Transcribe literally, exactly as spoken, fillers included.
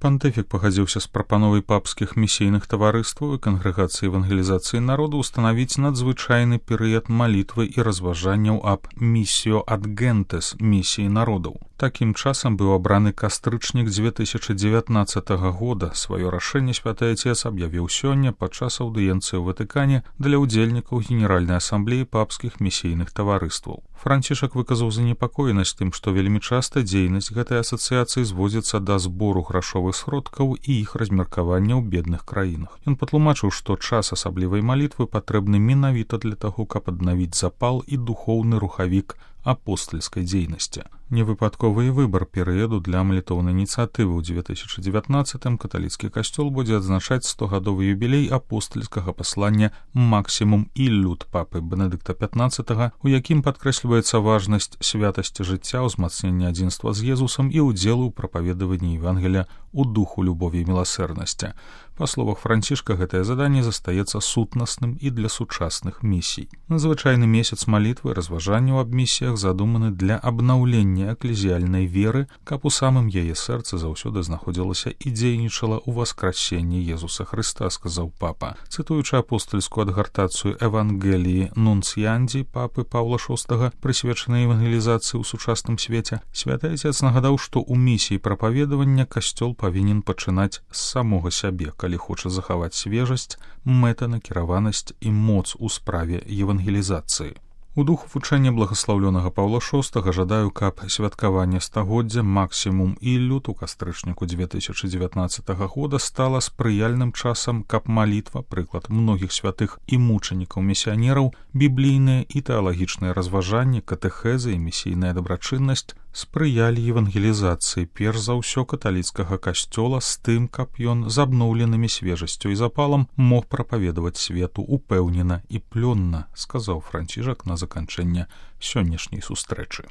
Пантыфік пагадзіўся з прапановай папскіх місійных таварыстваў і кангрэгацыі евангелізацыі народу ўстанавіць надзвычайны перыяд малітвы і разважанняў аб місіо ад гентес, місіі народаў. Такім часам быў абраны кастрычнік дзве тысячы дзевятнаццатага года. Сваё рашэнне святы Отец аб'явіў сёння падчас аўдыенцыі ў Ватыкане для ўдзельнікаў Генеральнай асамблеі папскіх місійных таварыстваў. Францішак выказаў занепакоенасць тым, што вельмі часта дзейнасць гэтай асацыяцыі зводзіцца да збору грашовых сродкаў і іх размеркавання ў бедных краінах. Ён патлумачыў, што час асаблівай малітвы патрэбны менавіта для таго, каб аднавіць запал і духоўны рухавік апостальскай дзейнасці. Невыпадковы выбар перыяду для малітоўнай ініцыятывы. У дзве тысячы дзевятнаццатым каталіцкі касцёл будзе адзначаць стогадовы юбілей апостальскага паслання «Максімум і люд» папы Бенедыкта пятнаццатага, у якім падкрэсліваецца важнасць святасці жыцця, ўзмацнення адзінства з Езусам і ўдзелу ў прапаведаванні Евангелія у духу любові і міласэрнасці. Па словах Францішка, гэтае заданне застаецца сутнасным і для сучасных місій. Надзвычайны месяц малітвы, разважанняў аб місіях задуманы для абнаўлення эклезіяльнай веры, каб у самым яе сэрцы заўсёды знаходзілася і дзейнічала ў васкрасенні Езуса Хрыста, сказаў папа. Цытуючы апостальскую адгартацыю Евангеліі Нунцыянді папы Паўла шостага, прысвечанай евангелізацыі ў сучасным свеце, святы Отец нагадаў, што ў місіі прапаведавання касцёл павінен пачынаць з самога сябе, калі хоча захаваць свежасць, мэтанакіраванасць і моц у справе евангелізацыі. У духу вучэння благаслаўлёнага Паўла шостага жадаю, каб святкаванне стагоддзя «Максімум і люд» у кастрычніку дзве тысячы дзевятнаццатага года стала спрыяльным часам, каб малітва, прыклад многіх святых і мучанікаў-місіянераў, біблійныя і тэалагічныя разважанні, катэхезы і місійная дабрачыннасць спрыялі евангелізацыі перш за ўсё каталіцкага касцёла з тым, каб ён з абноўленымі свежасцю і запалам мог прапаведаваць свету упэўнена і плённа, сказаў Францішак на заканчэнне сённяшняй сустрэчы.